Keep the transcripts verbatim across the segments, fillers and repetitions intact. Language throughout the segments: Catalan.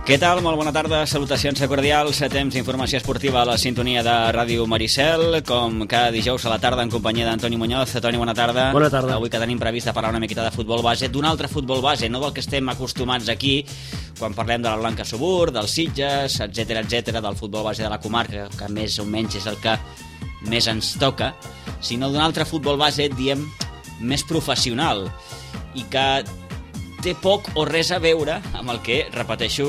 Què tal? Molt bona tarda, salutacions cordials, temps d'informació esportiva a la sintonia de Ràdio Maricel, com cada dijous a la tarda en companyia d'Antoni Muñoz. Toni, bona tarda. Bona tarda. Avui que tenim previst de parlar una miqueta de futbol base, d'un altre futbol base, no del que estem acostumats aquí, quan parlem de la Blanca Subur, dels Sitges, etcètera, etcètera, del futbol base de la comarca, que més o menys és el que més ens toca, sinó d'un altre futbol base, diem, més professional, i que té poc o res a veure amb el que, repeteixo,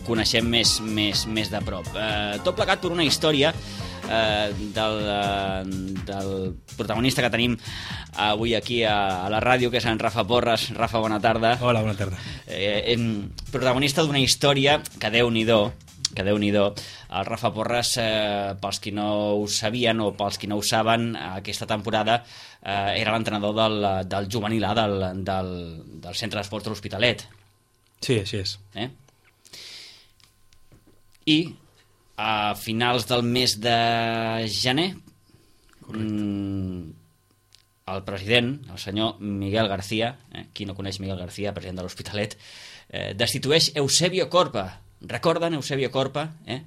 coneixem més, més, més de prop. Eh, tot plegat per una història eh, del, eh, del protagonista que tenim avui aquí a, a la ràdio, que és en Rafa Porres. Rafa, bona tarda. Hola, bona tarda. Eh, eh, protagonista d'una història que Déu-n'hi-do, que Déu-n'hi-do. El Rafa Porres, eh, pels qui no ho sabien o pels qui no ho saben, aquesta temporada eh, era l'entrenador del, del juvenil A del, del, del centre d'esports de l'Hospitalet. Sí, així és. Eh? I a finals del mes de gener, mm, el president, el senyor Miguel García, eh, qui no coneix Miguel García, president de l'Hospitalet, eh, destitueix Eusebio Corpa. Recorden Eusebio Corpa, eh?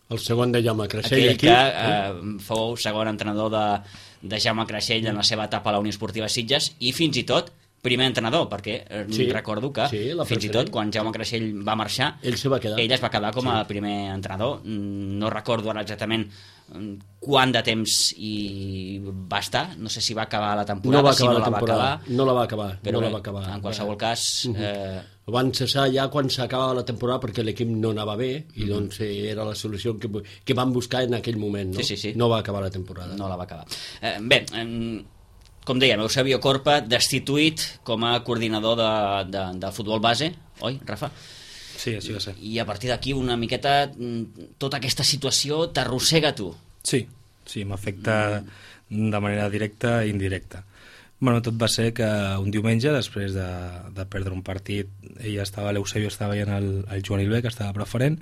El segon de Jaume Creixell. Aquell aquí, que eh, fou segon entrenador de, de Jaume Creixell en la seva etapa a la Unió Esportiva Sitges, i fins i tot primer entrenador, perquè eh, Sí, recordo que sí, la fins i tot quan Jaume Creixell va marxar, ell se va quedar. ell es va quedar com a primer entrenador. No recordo ara exactament quant de temps hi va estar, no sé si va acabar la temporada, No va acabar si no la la va temporada. acabar, No la va acabar. però no bé, la va acabar. en qualsevol cas... Eh, El van cessar ja quan s'acabava la temporada perquè l'equip no anava bé i doncs era la solució que, que van buscar en aquell moment. No? Sí, sí, sí. No va acabar la temporada. no la va acabar. Eh, bé, eh, com dèiem, Eusebio Corpa destituït com a coordinador de, de, de futbol base, oi, Rafa? Sí, així va ser. I a partir d'aquí una miqueta tota aquesta situació t'arrossega tu. Sí, sí, m'afecta de manera directa i indirecta. Bueno, tot va ser que un diumenge, després de, de perdre un partit, ella estava, l'Eusebio estava veient el, el juvenil B, que estava preferent,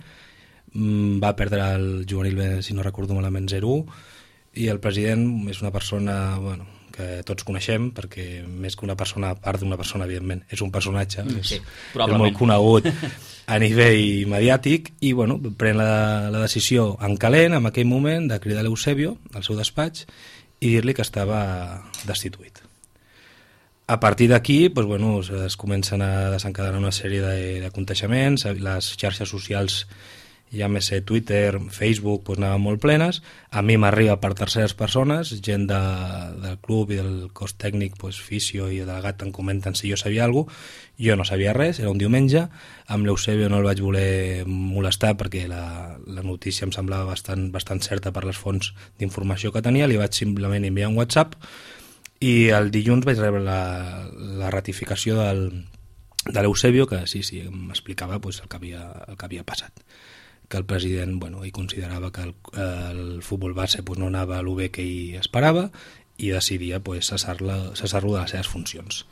va perdre el juvenil B, si no recordo malament, zero u, i el president és una persona, bueno, que tots coneixem, perquè més que una persona, a part d'una persona, evidentment, és un personatge, Sí, és, és probablement. molt conegut a nivell mediàtic, i bueno, pren la, la decisió en calent, en aquell moment, de cridar l'Eusebio al seu despatx i dir-li que estava destituït. A partir d'aquí, doncs, bueno, es comencen a desencadenar una sèrie de, de conteixements, les xarxes socials, ja més sé, Twitter, Facebook, doncs, anaven molt plenes. A mi m'arriba per terceres persones, gent de, del club i del cos tècnic, doncs, fisio i delegat, em comenten si jo sabia alguna cosa. Jo no sabia res, era un diumenge. Amb l'Eusebio no el vaig voler molestar perquè la, la notícia em semblava bastant, bastant certa per les fonts d'informació que tenia. Li vaig simplement enviar un WhatsApp i el dilluns vaig rebre la, la ratificació del, de l'Eusebio, que sí, sí, m'explicava pues, el, que havia, el que havia passat. Que el president, bueno, ell considerava que el, el futbol base pues, no anava a lo bé que ell esperava i decidia pues, cessar-lo cessar-lo de les seves funcions.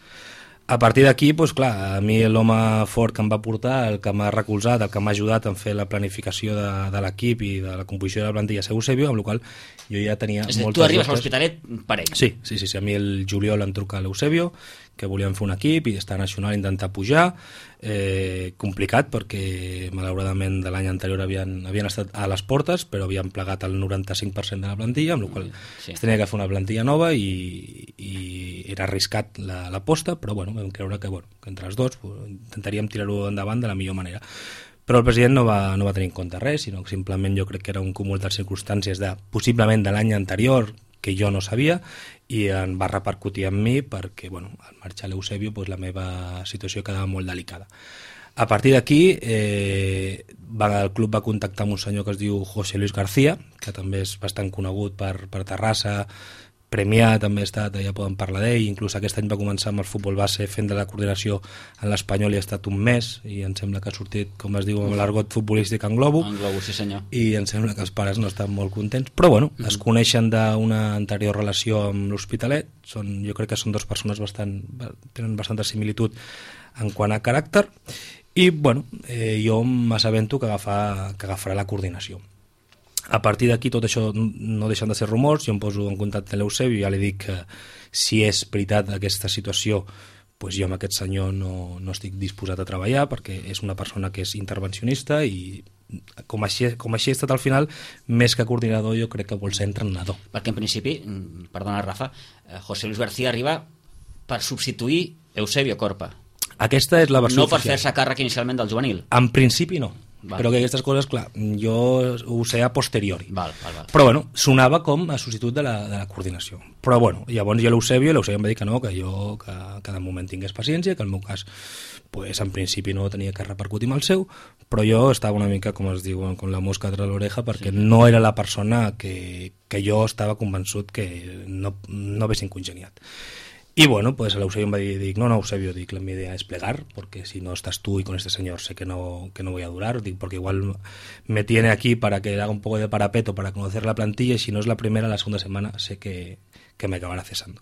A partir d'aquí, doncs, clar, a mi l'home fort que em va portar, el que m'ha recolzat, el que m'ha ajudat a fer la planificació de, de l'equip i de la composició de la plantilla és Eusebio, amb la qual jo ja tenia És a dir, moltes tu arribes a dubtes. l'Hospitalet per ell. Sí, sí, sí, sí, a mi el juliol em truca l'Eusebio, que volíem fer un equip i estar nacional, intentar pujar, eh, complicat perquè malauradament de l'any anterior havien, havien estat a les portes, però havien plegat el noranta-cinc per cent de la plantilla, amb la qual Sí. es tenia que fer una plantilla nova i, i era arriscat l'aposta, però bueno, vam creure que, bueno, que entre els dos pues, intentaríem tirar-ho endavant de la millor manera. Però el president no va, no va tenir en compte res, sinó que simplement jo crec que era un cúmul de circumstàncies de, possiblement de l'any anterior, que jo no sabia, i en va repercutir en mi perquè, bueno, al marxar l'Eusebio, pues, la meva situació quedava molt delicada. A partir d'aquí, eh, va, el club va contactar amb un senyor que es diu José Luis García, que també és bastant conegut per, per Terrassa, premiat, també ha estat, ja podem parlar d'ell, inclús aquest any va començar amb el futbol base fent de la coordinació en l'Espanyol i ha estat un mes, i em sembla que ha sortit, com es diu, amb l'argot futbolístic en globo, En Globo, sí senyor. i em sembla que els pares no estan molt contents, però bueno, mm-hmm. es coneixen d'una anterior relació amb l'Hospitalet, són, jo crec que són dues persones bastant, tenen bastanta similitud en quant a caràcter, i bueno, eh, jo m'assabento que, agafar, que agafarà la coordinació. A partir d'aquí tot això no deixen de ser rumors, jo em poso en contacte amb l'Eusebio i ja li dic que si és veritat aquesta situació pues jo amb aquest senyor no, no estic disposat a treballar perquè és una persona que és intervencionista i com així, com així ha estat al final, més que coordinador jo crec que vol ser entrenador. Perquè en principi, perdona Rafa, José Luis García arriba per substituir Eusebio Corpa. Aquesta és la versió no per oficial. fer-se càrrec inicialment del juvenil. En principi no. Val. Però que aquestes coses, clar, jo ho sé a posteriori. Val, val, val. Però bueno, sonava com a substitut de la, de la coordinació. Però bueno, llavors jo l'Eusebio, l'Eusebio em va dir que no, que jo que, que de moment tingués paciència, que el meu cas pues, en principi no tenia que repercutir amb el seu, però jo estava una mica, com es diu, com la mosca tra l'oreja, perquè sí. no era la persona que, que jo estava convençut que no, no haguessin congeniat. Y bueno, pues el Eusebio me dijo, no, no, Eusebio, dic, la mi idea es plegar, porque si no estás tú y con este señor sé que no, que no voy a durar, dic, porque igual me tiene aquí para que haga un poco de parapeto para conocer la plantilla y si no es la primera, la segunda semana sé que, que me acabará cesando.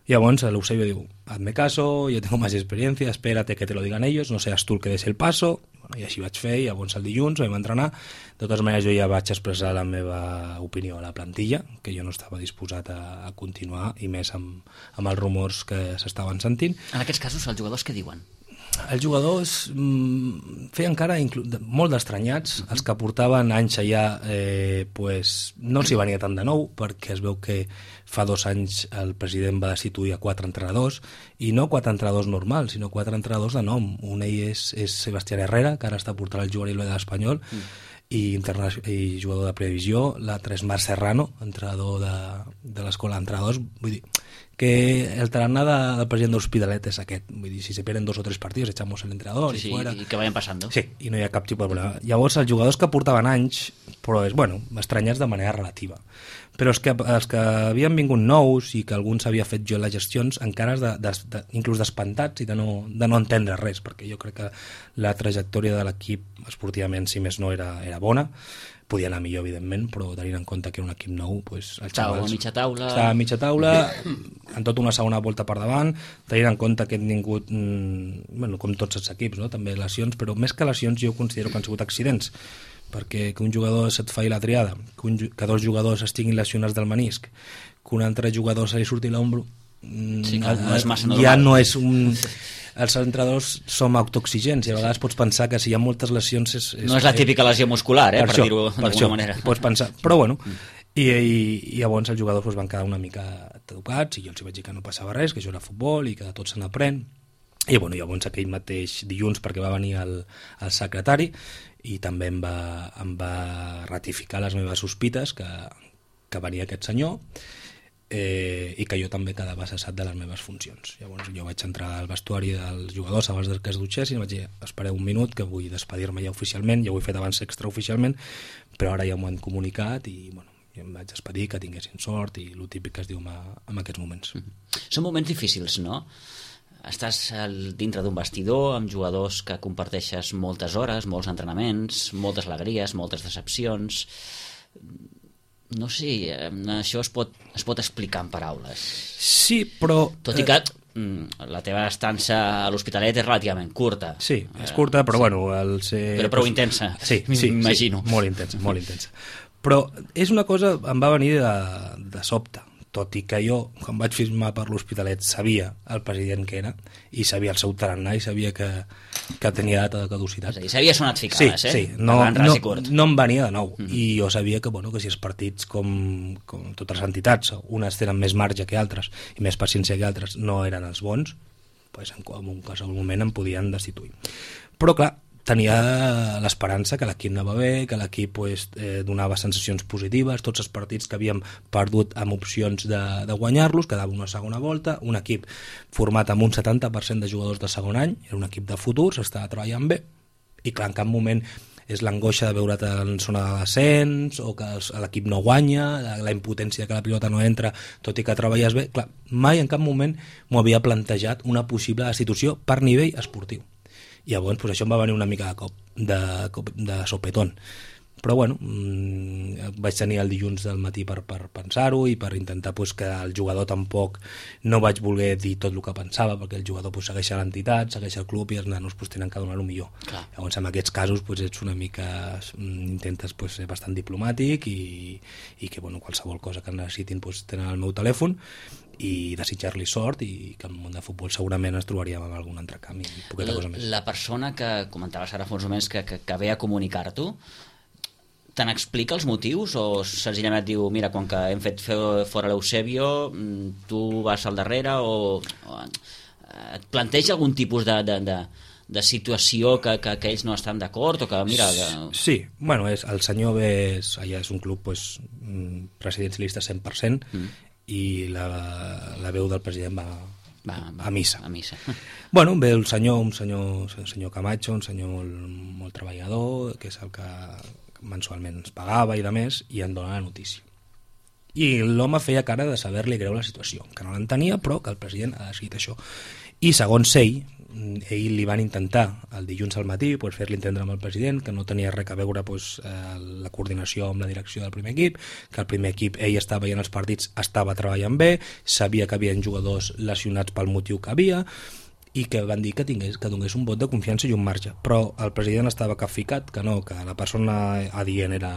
Y llavors el Eusebio diu, hazme caso, yo tengo más experiencia, espérate que te lo digan ellos, no seas tú el que des el paso. Bueno, i així vaig fer, i llavors el dilluns vam entrenar. De totes maneres jo ja vaig expressar la meva opinió a la plantilla, que jo no estava disposat a, a continuar, i més amb, amb els rumors que s'estaven sentint. En aquests casos els jugadors què diuen? Els jugadors mm, feien encara inclu- molt d'estranyats, uh-huh. Els que portaven anys allà eh, pues, no s'hi venia tant de nou, perquè es veu que fa dos anys el president va destituir a quatre entrenadors, i no quatre entrenadors normals, sinó quatre entrenadors de nom. Un d'ell és, és Sebastián Herrera, que ara està portant el juvenil de l'Espanyol, uh-huh. i, interna- i jugador de previsió. L'altre és Marc Serrano, entrenador de, de l'escola d'entrenadors. Vull dir que el tarannà de, del president de l'Hospitalet és aquest. Vull dir, si se pierden dos o tres partits, echamos el entrenador Sí, sí, i fuera. i que vayan passant. Sí, i no hi ha cap tipus de problema. Llavors, els jugadors que portaven anys, però és, bueno, estranyats de manera relativa. Però els que, els que havien vingut nous i que alguns havia fet jo les gestions, encara de, de, de, inclús despantats i de no, de no entendre res, perquè jo crec que la trajectòria de l'equip esportivament, si més no, era, era bona. Podia anar millor, evidentment, però tenint en compte que era un equip nou, pues, els Estava xavals... a mitja taula... Estava a mitja taula, en tot una segona volta per davant, tenint en compte que han tingut, mmm, bueno, com tots els equips, no? També lesions, però més que lesions jo considero que han sigut accidents, perquè que un jugador se't faci la triada, que, un, que dos jugadors estiguin lesionats del menisc, que un altre jugador se li surti l'ombro, sí, no, no és massa normal. Ja no és un... Els entrenadors som autoexigents i a vegades pots pensar que si hi ha moltes lesions... És, és, no és la típica lesió muscular, eh, per, per dir-ho d'alguna manera. Pots pensar, però bueno, i, i, i llavors els jugadors pues, van quedar una mica educats i jo els vaig dir que no passava res, que això era futbol i que de tot se n'aprèn. I bueno, llavors aquell mateix dilluns, perquè va venir el, el secretari i també em va, em va ratificar les meves sospites que, que venia aquest senyor, Eh, i que jo també quedava cessat de les meves funcions. Llavors jo vaig entrar al vestuari dels jugadors abans que es dutxessin i vaig dir, espereu un minut que vull despedir-me ja oficialment, ja ho he fet abans extraoficialment, però ara ja m'ho han comunicat i bueno, ja em vaig despedir, que tinguessin sort i el típic que es diu en, en aquests moments. Mm-hmm. Són moments difícils, no? Estàs al, dintre d'un vestidor amb jugadors que comparteixes moltes hores, molts entrenaments, moltes alegries, moltes decepcions... No sé, això es pot, es pot explicar en paraules. Sí, però... Tot i que eh... la teva estança a l'Hospitalet és relativament curta. Sí, és curta, però sí. Bueno... El ser... Però prou intensa, sí, sí, m'imagino. Sí, molt intensa, molt intensa. Però és una cosa, em va venir de, de sobte, tot i que jo, quan vaig firmar per l'Hospitalet, sabia el president que era, i sabia el seu tarannà, i sabia que, que tenia data de caducitat. És a dir, sabia sonat ficades, sí, eh? Sí, no, no, no, no em venia de nou, mm-hmm. I jo sabia que, bueno, que si els partits, com, com totes les entitats, unes tenen més marge que altres, i més paciència que altres, no eren els bons, pues en un qualsevol moment em podien destituir. Però, clar, tenia l'esperança que l'equip anava bé, que l'equip pues, eh, donava sensacions positives, tots els partits que havíem perdut amb opcions de, de guanyar-los, quedava una segona volta, un equip format amb un setanta per cent de jugadors de segon any, era un equip de futur, s'estava treballant bé, i clar, en cap moment és l'angoixa de veure't en zona de descens, o que l'equip no guanya, la, la impotència que la pilota no entra, tot i que treballes bé, clar, mai en cap moment m'ho havia plantejat una possible destitució per nivell esportiu. I llavors pues, això em va venir una mica de cop, de, cop, de sopetón. Però bueno, mmm, vaig tenir el dilluns del matí per, per pensar-ho i per intentar pues, que el jugador tampoc no vaig voler dir tot el que pensava, perquè el jugador pues, segueix l'entitat, segueix el club i els nanos pues, tenen que donar el millor. Clar. Llavors en aquests casos pues, ets una mica intentes pues, ser bastant diplomàtic i, i que bueno, qualsevol cosa que necessitin pues, tenen el meu telèfon i desitjar-li sort i que en el món de futbol segurament ens trobaríem amb algun altre canvi i poqueta cosa més. La persona que comentaves ara fa uns moments que, que, que ve a comunicar-t'ho, te n'explica els motius o senzillament et diu, mira, quan que hem fet fora l'Eusebio tu vas al darrere o, o et planteja algun tipus de, de, de, de situació que, que, que ells no estan d'acord o que mira... De... Sí, bueno, és, el senyor ve, és, allà és un club pues, presidencialista cent per cent mm. i la, la veu del president va, va, va a missa. A missa. Bueno, ve el senyor, un senyor, un senyor Camacho, un senyor molt, molt treballador, que és el que mensualment ens pagava i de més, i en dona la notícia. I l'home feia cara de saber-li greu la situació, que no l'entenia, però que el president ha decidit això. I segons ell, ell li van intentar el dilluns al matí pues, fer-li entendre amb el president que no tenia res a veure pues, la coordinació amb la direcció del primer equip, que el primer equip ell estava veient els partits, estava treballant bé, sabia que havia jugadors lesionats pel motiu que havia, i que van dir que tingués que donés un vot de confiança i un marge, però el president estava capficat que no, que la persona adient era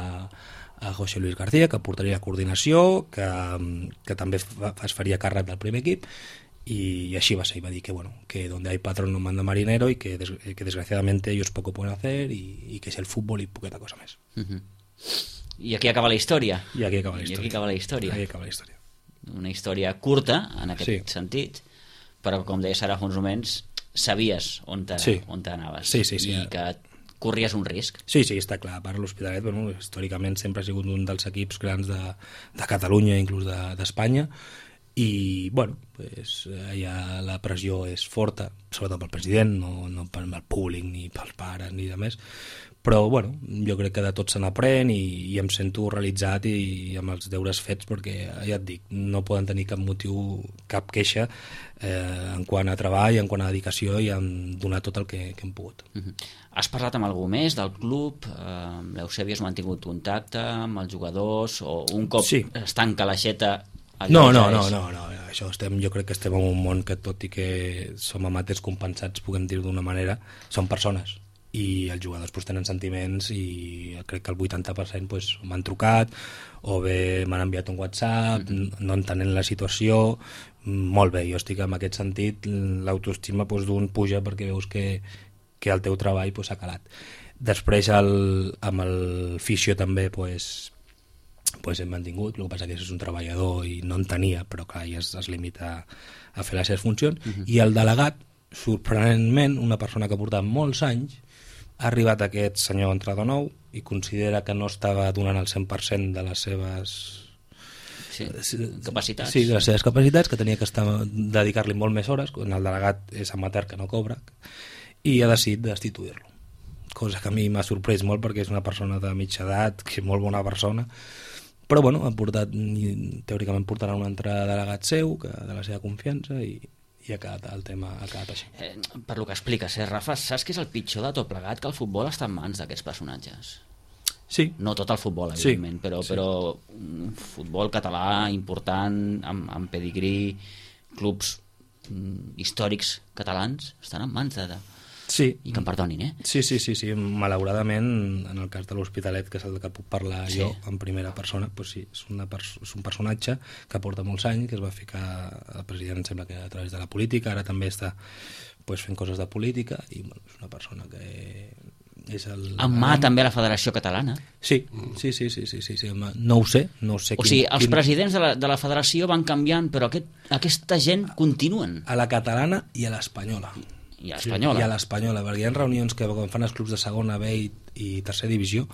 a José Luis García, que portaria la coordinació, que, que també es faria càrrec del primer equip, y así va a ser, iba a decir que bueno, que donde hay patrón no manda marinero y que, des, que desgraciadamente ellos poco pueden hacer y, y que es el fútbol y poqueta cosa más. Uh-huh. I aquí acaba la història. I aquí acaba la I història. aquí acaba la història. Aquí acaba la història. Una història curta, en aquest sí. sentit, però com deies ara fa uns moments, sabies on te, sí. on te anaves sí, sí, sí. i que corries un risc. Sí, sí, està clar. Per l'Hospitalet, bueno, històricament sempre ha sigut un dels equips grans de, de Catalunya, inclús d'Espanya, de, i, bueno, pues, allà la pressió és forta, sobretot pel president, no, no pel públic, ni pels pares, ni de més, però, bueno, jo crec que de tot se n'aprèn i, i em sento realitzat i, i amb els deures fets, perquè, ja et dic, no poden tenir cap motiu, cap queixa eh, en quant a treball, en quant a dedicació i en donar tot el que, que hem pogut. Uh-huh. Has parlat amb algú més del club? Eh, L'Eusebi has mantingut contacte amb els jugadors o un cop sí. es tanca l'aixeta? No, no, no, no, no, això estem, jo crec que estem en un món que tot i que som amateurs compensats, puguem dir-ho d'una manera, són persones i els jugadors pues, tenen sentiments i crec que el vuitanta per cent pues, m'han trucat o bé m'han enviat un WhatsApp, mm-hmm. no entenent la situació, molt bé, jo estic en aquest sentit, l'autoestima pues, d'un puja perquè veus que, que el teu treball pues, s'ha calat. Després el, amb el fisio també pues, pues hem mantingut, el que passa que és un treballador i no en tenia, però clar, ja es, es limita a fer les seves funcions, uh-huh. i el delegat, sorprenentment, una persona que portava molts anys, ha arribat aquest senyor entrenador nou i considera que no estava donant el cent per cent de les seves sí, capacitats. Sí, de les seves capacitats, que tenia que estar dedicar-li molt més hores, quan el delegat és amateur que no cobra, i ha decidit destituir-lo. Cosa que a mi m'ha sorprès molt perquè és una persona de mitja edat, que és molt bona persona, però bueno, ha portat, teòricament portarà un altre delegat seu, que de la seva confiança, i, i ha quedat, el tema ha quedat així. Eh, per lo que expliques, eh, Rafa, saps que és el pitjor de tot plegat? Que el futbol està en mans d'aquests personatges. Sí. No tot el futbol, evidentment, sí. però, sí. però un futbol català important, amb, amb pedigrí, clubs mm, històrics catalans, estan en mans de... de... Sí. I que em perdonin, eh? Sí, sí, sí, sí. Malauradament, en el cas de l'Hospitalet, que és el que puc parlar sí. jo en primera persona, pues sí, és, una pers és un personatge que porta molts anys, que es va ficar al president, em sembla que a través de la política, ara també està pues, fent coses de política, i bueno, és una persona que és el... En mà també a la Federació Catalana. Sí, sí, sí, sí, sí, sí, sí. No ho sé, no ho sé. O quin, sigui, els quin... presidents de la, de la Federació van canviant, però aquest, aquesta gent continuen. A la catalana i a l'espanyola. I a l'espanyola. I a l'espanyola, perquè hi ha reunions que quan fan els clubs de segona B i, i tercera divisió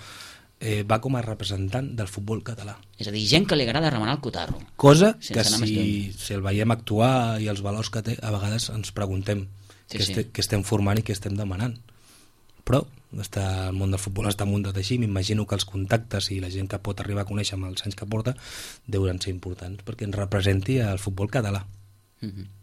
eh, va com a representant del futbol català. És a dir, gent que li agrada remenar el cotarro. Cosa que si, si el veiem actuar i els valors que té, a vegades ens preguntem sí, què, sí. Este, què estem formant i què estem demanant. Però està, el món del futbol està muntat així, m'imagino que els contactes i la gent que pot arribar a conèixer amb els anys que porta deuen ser importants perquè ens representi el futbol català. Mm-hmm.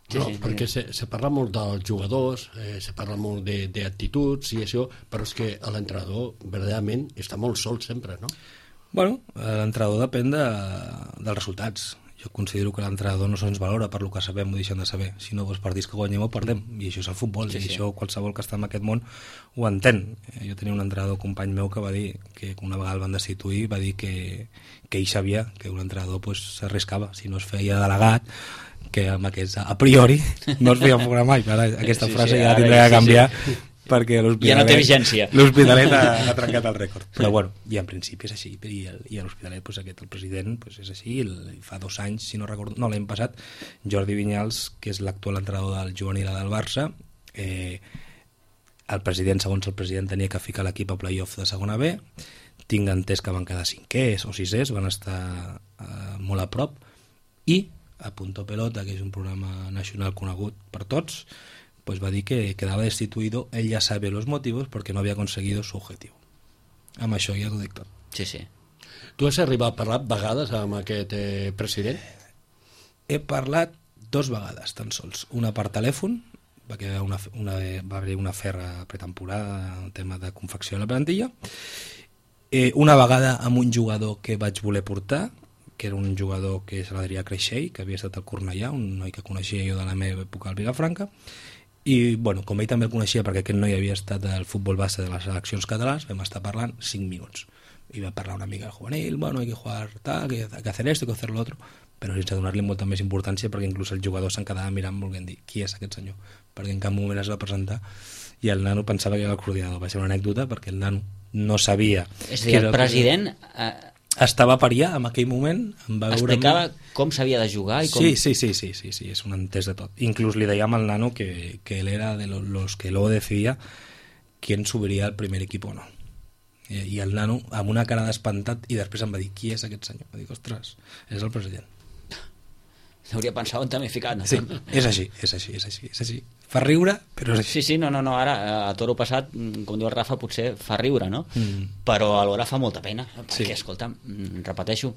Sí, no? Sí, perquè sí. Se, se parla molt dels jugadors, eh, se parla molt d'actituds i això, però és que l'entrenador verdaderament està molt sol sempre, no? Bueno, l'entrenador depèn de, dels resultats. Jo considero que l'entrenador no se'ns valora per lo que sabem o deixem de saber, sinó els partits que guanyem o perdem, i això és el futbol, sí, i sí. Això qualsevol que està en aquest món ho entén. Jo tenia un entrenador company meu que va dir que una vegada el van destituir, va dir que, que ell sabia que un entrenador pues, s'arriscava, si no es feia delegat, que amb aquests a priori no es feia fora mai. Ara, aquesta sí, frase sí, ja la tindrà que canviar, sí, sí. Perquè l'Hospitalet ja no té vigència. L'Hospitalet ha, ha trencat el rècord. Però bueno, i en principi és així. I, el, i a l'Hospitalet, pues, aquest, el president, pues, és així. El, fa dos anys, si no recordo, no, l'any passat, Jordi Vinyals, que és l'actual entrenador del juvenil del Barça, eh, el president, segons el president, tenia que ficar l'equip a play-off de segona B. Tinc entès que van quedar cinquers o sisers, van estar eh, molt a prop. I a Punto Pelota, que és un programa nacional conegut per tots, pues va dir que quedava destituïdo, ell ja sabe los motivos perquè no havia aconseguido su objetivo. Amb això ja t'ho dic tot. Sí, sí. Tu has arribat a parlar vegades amb aquest eh, president? He parlat dos vegades, tan sols. Una per telèfon, perquè una, una, va haver una ferra pretemporada en tema de confecció de la plantilla. Eh, una vegada amb un jugador que vaig voler portar, que era un jugador que és l'Adrià Creixell, que havia estat al Cornellà, un noi que coneixia jo de la meva època al Vilafranca, i bueno, com ell també el coneixia perquè aquest noi havia estat al futbol base de les seleccions catalans, vam estar parlant cinc minuts i va parlar una mica del juvenil, bueno, hay que jugar tal, hay que hacer esto, hay que hacer lo otro, però sense donar-li molta més importància perquè inclús el jugador se'n quedava mirant volent dir qui és aquest senyor, perquè en cap moment es va presentar i el nano pensava que era el coordinador. Va ser una anècdota perquè el nano no sabia... És a dir, el president... Eh... estava per allà en aquell moment, em va veure... Explicava com s'havia de jugar i com... Sí, sí, sí, sí, sí, sí, és un entès de tot. Inclús li dèiem al nano que, que él era de los que luego decidía quién subiria al primer equipo o no. I, i el nano, amb una cara d'espantat, i després em va dir, qui és aquest senyor? Va dir, ostres, és el president. Hauria pensat on també ficat, no? Sí, és així, és així, és així, és així. Fa riure, però és així. Sí, sí, no, no, no, ara, a toro passat, com diu el Rafa, potser fa riure, no? Mm. Però alhora fa molta pena, perquè, sí. Escolta, repeteixo,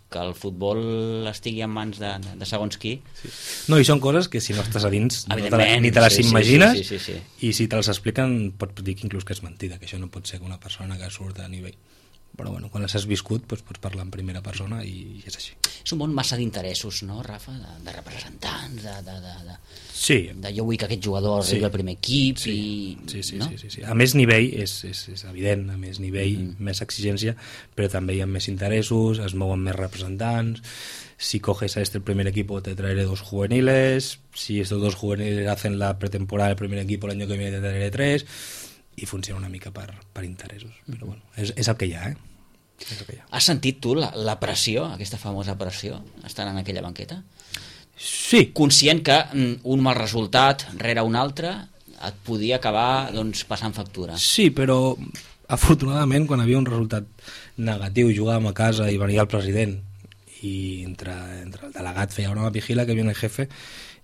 que el futbol estigui en mans de, de segons qui... Sí. No, i són coses que si no estàs a dins no te la, ni te les sí, imagines, sí, sí, sí, sí, sí. I si te les expliquen pots dir que inclús que és mentida, que això no pot ser que una persona que surt a nivell... Però bueno, quan les has viscut doncs pots parlar en primera persona i és així. És un món massa d'interessos, no, Rafa? De, de representants, de, de, de, de, sí. de jo vull que aquest jugador arribi sí. al primer equip sí. i... Sí, sí, no? sí, sí, sí. A més nivell és, és, és evident, a més nivell, mm -hmm. més exigència, però també hi ha més interessos, es mouen més representants. Si coges a este el primer equipo te traeré dos juveniles, si estos dos juveniles hacen la pretemporada del primer equipo el año que viene te traeré tres, i funciona una mica per, per interessos, però bueno, és, és el que hi ha, eh? És el que hi ha. Has sentit tu la, la pressió, aquesta famosa pressió, estant en aquella banqueta? Sí. Conscient que un mal resultat rere un altre et podia acabar doncs, passant factura. Sí, però afortunadament quan havia un resultat negatiu jugàvem a casa i venia el president y entre, entre el delegat feia una vigila que viene el jefe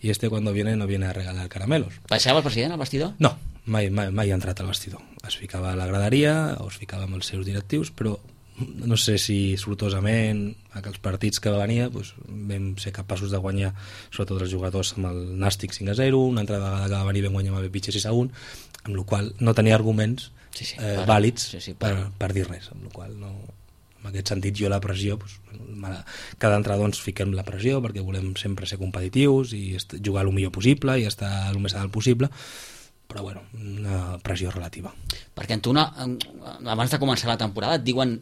y este cuando viene no viene a regalar caramelos. Baixava el president al vestidor? No, mai, mai, mai ha entrat al vestidor. Es ficava a la graderia o es ficava amb els seus directius, però no sé si sortosament aquells partits que venia doncs, vam ser capaços de guanyar sobretot els jugadors amb el Nàstic cinc a zero, una altra vegada que va venir vam guanyar amb el Bepitxe sis a un, amb la qual no tenia arguments sí, sí, eh, per, vàlids sí, sí, per, per, per dir res, amb la qual no... En aquest sentit jo la pressió doncs, cada entrenador ens fiquem la pressió perquè volem sempre ser competitius i jugar el millor possible i estar el més alt possible, però bueno, una pressió relativa. Perquè en tu una, abans de començar la temporada et diuen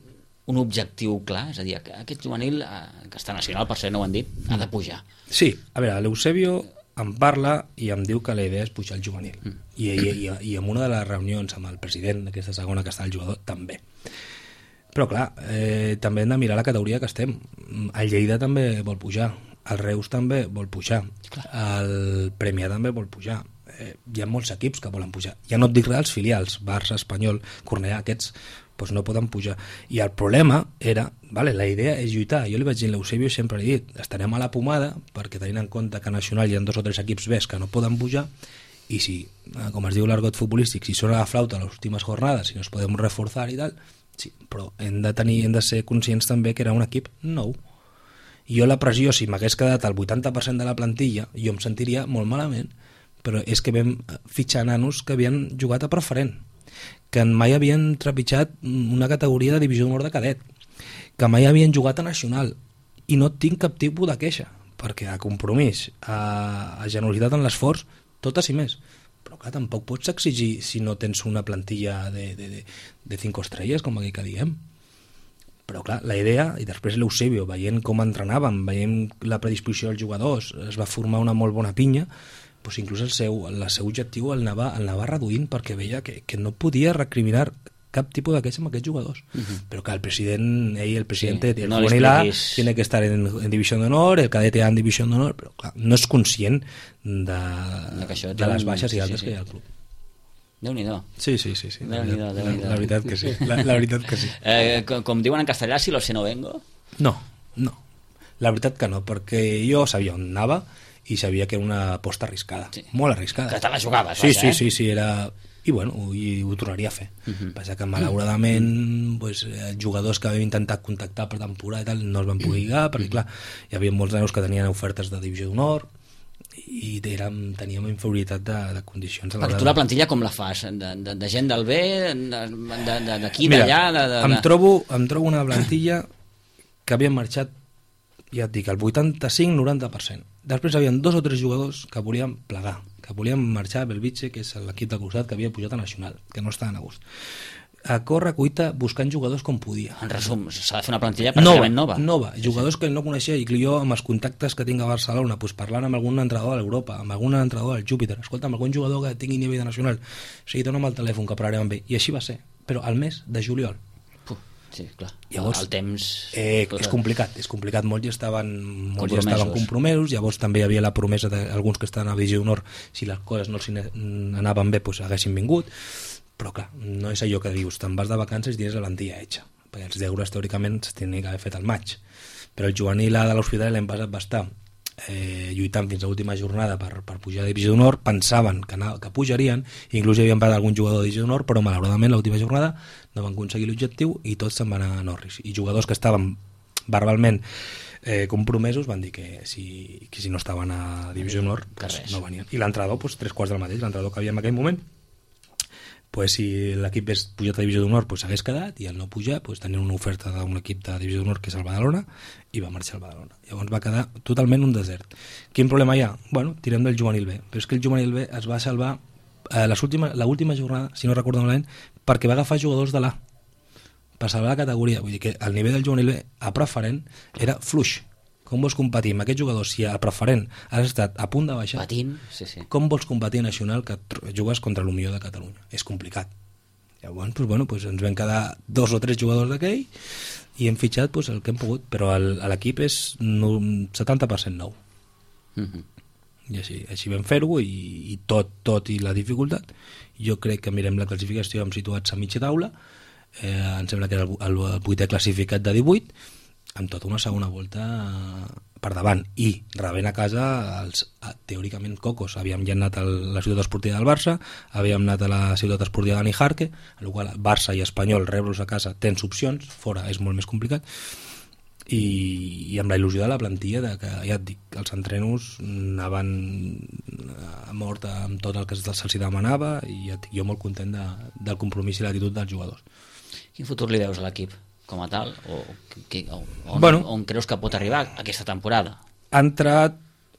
un objectiu clar, és a dir, que aquest juvenil que està nacional, per ser no ho han dit, ha de pujar. Sí, a veure, l'Eusebio em parla i em diu que la idea és pujar el juvenil mm. I, i, i, i en una de les reunions amb el president d'aquesta segona que està el jugador també. Però clar, eh, també hem de mirar la categoria que estem. El Lleida també vol pujar, el Reus també vol pujar, clar. El Premià també vol pujar. Eh, hi ha molts equips que volen pujar. Ja no et dic res dels filials, Barça, Espanyol, Cornellà, aquests doncs no poden pujar. I el problema era, vale, la idea és lluitar. Jo li vaig dir a l'Eusebio, sempre li he dit, estarem a la pomada, perquè tenint en compte que a Nacional hi ha dos o tres equips bes que no poden pujar, i si, com es diu l'argot futbolístic, si sona la flauta a les últimes jornades, si nos podem reforçar i tal, sí, però hem de tenir, hem de ser conscients també que era un equip nou I jo la pressió, si m'hagués quedat al vuitanta per cent de la plantilla, jo em sentiria molt malament, però és que vam fitxar nanos que havien jugat a preferent, que mai havien trepitjat una categoria de divisió d'honor de cadet, que mai havien jugat a nacional, i no tinc cap tipus de queixa, perquè a compromís, a, a generositat en l'esforç, totes i més. Però clar, tampoc pots exigir si no tens una plantilla de, de, de, de cinco estrelles, com aquí que diem. Però clar, la idea, i després l'Eusebio, veient com entrenàvem, veient la predisposició dels jugadors, es va formar una molt bona pinya, doncs inclús el seu, el seu objectiu el anava, el anava reduint perquè veia que, que no podia recriminar cap tipus de queixa amb aquests jugadors. Uh-huh. Però que el president, ell, el presidente, sí, el no juvenil A, tiene que estar en, en división de honor, el cadete A en división de honor, però clar, no és conscient de, de, de les baixes i altes sí, sí, sí. que hi ha al club. Déu-n'hi-do. Sí, sí, sí. sí. Déu-n'hi-do, Déu-n'hi-do. La veritat que sí. La, la veritat que sí. Eh, com, com diuen en castellà, si lo sé no vengo? No, no. La veritat que no, perquè jo sabia on anava i sabia que era una aposta arriscada. Sí. Molt arriscada. Que te la jugaves, sí, vaja, sí, eh? sí, sí, era... I bueno, i ho tornaria a fer. Uh-huh. Passa que malauradament uh-huh. pues, jugadors que havien intentat contactar per temporada i tal no els van poder lligar, perquè clar, hi havia molts nanos que tenien ofertes de divisió d'honor i érem, teníem inferioritat de, de condicions. Perquè tu la plantilla com la fas? De, de, de gent del B? D'aquí, d'allà? De, de, de... Em, trobo, em trobo una plantilla que havien marxat, ja et dic, el vuitanta-cinc noranta per cent. Després hi havia dos o tres jugadors que volien plegar, que volien marxar a Belvitge, que és l'equip del costat que havia pujat a Nacional, que no estaven a gust. A corre cuita buscant jugadors com podia. En resum, s'ha de fer una plantilla pràcticament nova. Nova, nova. Jugadors sí, sí. que no coneixia, i que jo amb els contactes que tinc a Barcelona, pues, parlant amb algun entrenador de l'Europa, amb algun entrenador del Júpiter, escolta, amb algun jugador que tingui nivell de Nacional, o sigui, dona'm el telèfon que parlarem amb ell. I així va ser, però al mes de juliol. Sí, clar. Llavors, el temps... Eh, és complicat, és complicat. Molts ja estaven, molts ja estaven compromesos, llavors també hi havia la promesa d'alguns que estaven a divisió d'honor, si les coses no anaven bé, doncs haguessin vingut, però clar, no és allò que dius, te'n vas de vacances i tens la plantilla hecha, perquè els deures teòricament s'havien d'haver fet al maig, però el juvenil A de l'Hospitalet l'any passat va estar eh, lluitant fins a l'última jornada per, per pujar a divisió d'honor, pensaven que, anava, que pujarien, inclús hi havien parat algun jugador de divisió d'honor, però malauradament l'última jornada no van aconseguir l'objectiu i tots se'n van anar a Norris, i jugadors que estaven verbalment eh, compromesos van dir que si, que si no estaven a divisió d'honor pues, no venien, i l'entrenador pues, tres quarts del mateix, l'entrenador que havia en aquell moment, pues, si l'equip és pujat a divisió d'honor pues, s'hagués quedat, i al no pujar pues, tenien una oferta d'un equip de divisió d'honor que és el Badalona, i va marxar al Badalona. Llavors va quedar totalment un desert. Quin problema hi ha? Bueno, tirem del juvenil B, però és que el juvenil B es va salvar eh, l'última jornada, si no recordo malament, perquè va agafar jugadors de l'A per salvar la categoria. Vull dir que el nivell del juvenil B a preferent era fluix. Com vols competir amb aquests jugadors si a preferent has estat a punt de baixar? Patint, sí, sí. Com vols competir a nacional que jugues contra el millor de Catalunya? És complicat. Llavors, pues, bueno, pues ens vam quedar dos o tres jugadors d'aquell i hem fitxat pues, el que hem pogut, però l'equip és setanta per cent nou. Uh-huh. I així, així vam fer-ho, i, i tot, tot i la dificultat, jo crec que mirem la classificació, hem situats a mitja taula, eh, em sembla que era el, el, el vuitè classificat de divuit, amb tota una segona volta per davant, i rebent a casa els, teòricament, cocos. Havíem ja anat a la ciutat esportiva del Barça, havíem anat a la ciutat esportiva de Nijarque, en la qual Barça i Espanyol, rebre-los a casa tens opcions, fora és molt més complicat, i, i amb la il·lusió de la plantilla de que, ja et dic, els entrenos anaven a mort amb tot el que se'ls demanava, i ja et dic, jo molt content de, del compromís i l'actitud dels jugadors. Quin futur li veus a l'equip? Com a tal, o, que, o on, bueno, on creus que pot arribar aquesta temporada? Ha entrat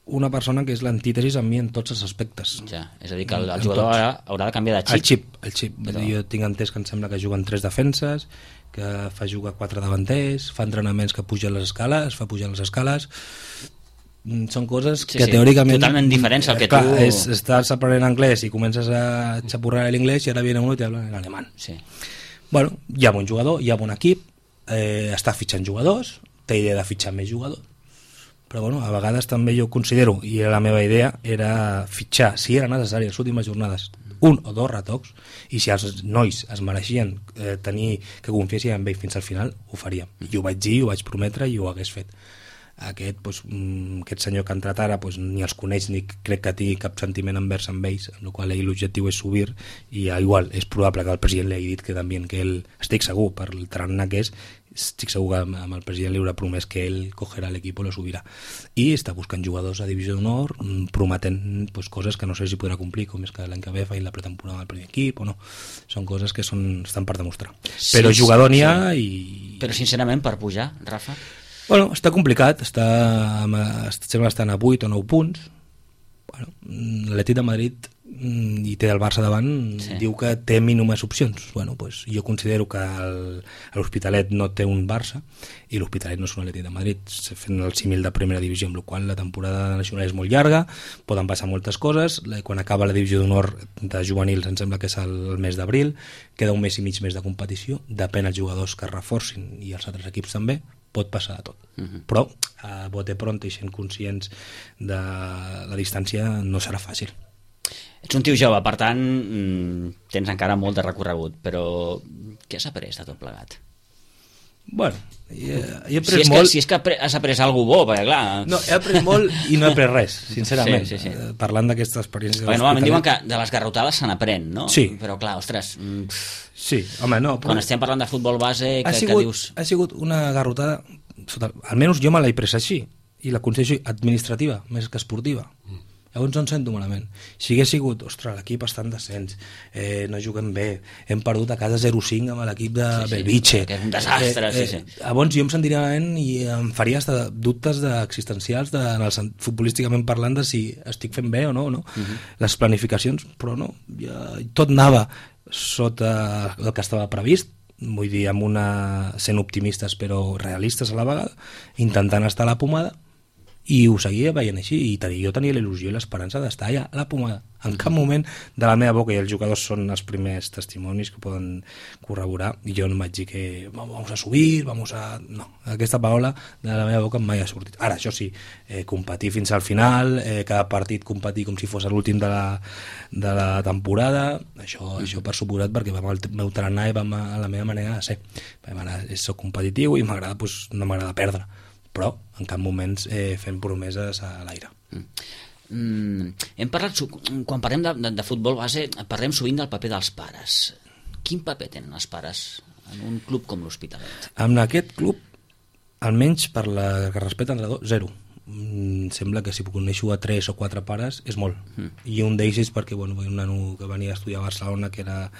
una persona que és l'antítesis amb mi en tots els aspectes. Ja, és a dir, que el, el jugador haurà, haurà de canviar de xip. El xip, el xip. Però... Jo tinc entès que em sembla que juguen tres defenses, que fa jugar quatre davanters, fa entrenaments que pugen les escales, fa pujar les escales... Són coses sí, que sí, teòricament... Totalment diferents al que clar, tu... És, estàs aprenent anglès i comences a xapurrar l'inglès i ara viene uno i t'habla en alemany. Sí. Bueno, hi ha bon jugador, hi ha bon equip, eh, està fitxant jugadors, té idea de fitxar més jugadors, però bueno, a vegades també jo considero, i la meva idea era fitxar, si era necessari, les últimes jornades, un o dos retocs, i si els nois es mereixien eh, tenir que confiessin en ell fins al final, ho faríem. I ho vaig dir, ho vaig prometre i ho hagués fet. aquest, doncs, aquest senyor que ha entrat ara doncs, ni els coneix ni crec que tingui cap sentiment envers amb ells, amb la qual cosa l'objectiu és subir, i igual és probable que el president li hagi dit que també que ell, estic segur per el tarannà que és, estic segur que amb el president li haurà promès que ell cogerà l'equip i lo subirà, i està buscant jugadors a divisió d'honor, prometent pues, coses que no sé si podrà complir, com és que l'any que ve faci la pretemporada amb el primer equip o no, són coses que són, estan per demostrar, sí, però jugador n'hi ha sí. i... Però sincerament per pujar, Rafa? Bueno, està complicat, està, sembla que estan a vuit o nou punts. Bueno, l'Atlètic de Madrid i té el Barça davant, sí. diu que té mínimes opcions. Bueno, pues, jo considero que l'Hospitalet no té un Barça i l'Hospitalet no és un Atlètic de Madrid, fent el símil de primera divisió, amb la qual la temporada nacional és molt llarga, poden passar moltes coses. Quan acaba la divisió d'honor de juvenils, em sembla que és el mes d'abril, queda un mes i mig més de competició, depèn els jugadors que es reforcin i els altres equips també, pot passar de tot, uh-huh. però a bote pronto i sent conscients de la distància no serà fàcil. Ets un tio jove, per tant tens encara molt de recorregut, però què has après de tot plegat? Bueno, he, he après si és molt... Que, si és que has après alguna bo, perquè clar... No, he après molt i no he après res, sincerament, sí, sí, sí. parlant d'aquesta experiència. Perquè normalment diuen que de les garrotades se n'aprèn, no? Sí. Però clar, ostres... Sí, home, no... Però... Quan estem parlant de futbol base, que, sigut, que dius... Ha sigut una garrotada, sota, almenys jo me l'he pres així, i la considero administrativa, més que esportiva. Mm. Llavors no em sento malament. Si hagués sigut, ostres, l'equip està en descens, eh, no juguem bé, hem perdut a casa zero cinc amb l'equip de sí, sí, Belvitge... Que és un desastre, eh, eh, sí, sí. Llavors jo em sentiria malament i em faria hasta dubtes de, existencials de, en el, futbolísticament parlant de si estic fent bé o no, no? Uh-huh. Les planificacions, però no, ja, tot anava sota el que estava previst, vull dir, amb una, sent optimistes però realistes a la vegada, intentant estar a la pomada, i ho seguia veient així, i tenia, jo tenia la il·lusió i l'esperança d'estar allà a la pomada. En cap moment de la meva boca, i els jugadors són els primers testimonis que poden corroborar, i jo no vaig dir que vamos a subir, vamos a... No, aquesta paraula de la meva boca mai ha sortit. Ara, això sí, eh, competir fins al final, eh, cada partit competir com si fos l'últim de, la, de la temporada, això, mm. això per suposat, perquè vam al meu tarannà i vam a la meva manera de ser. Soc competitiu i m'agrada, doncs, no m'agrada perdre, però en cap moment eh, fent promeses a l'aire. Mm. Mm, hem parlat, quan parlem de, de, de futbol base, parlem sovint del paper dels pares. Quin paper tenen els pares en un club com l'Hospitalet? En aquest club, almenys per la que respecta l'entrenador, zero. Mm, sembla que si coneixo a tres o quatre pares és molt. Mm. I un d'ells és perquè bueno, un nano que venia a estudiar a Barcelona, que era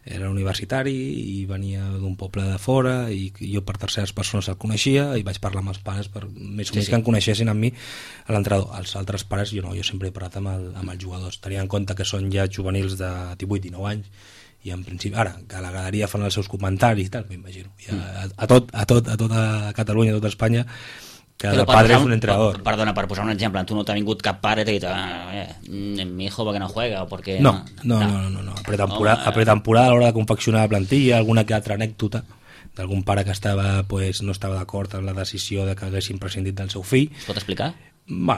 era universitari i venia d'un poble de fora i jo per terceres persones el coneixia i vaig parlar amb els pares per més o menys sí, sí. que em coneixessin amb mi a l'entrenador. Els altres pares jo no, jo sempre he parlat amb, el, amb els jugadors, tenint en compte que són ja juvenils de divuit dinou anys i en principi, ara, que a la galeria fan els seus comentaris i tal, m'imagino ja, a, a, tot, a, tot, a tota Catalunya, a tota Espanya, cada padre és un entrenador. Per, perdona, per posar un exemple, tu no t'ha vingut cap pare i t'ha dit, ah, eh, mi hijo perquè no juega o perquè... No, no, no, no, no, no. A pretemporada, a pretemporada a l'hora de confeccionar la plantilla, alguna que altra anècdota d'algun pare que estava, pues, no estava d'acord amb la decisió de que haguessin prescindit del seu fill. Es pot explicar? Va,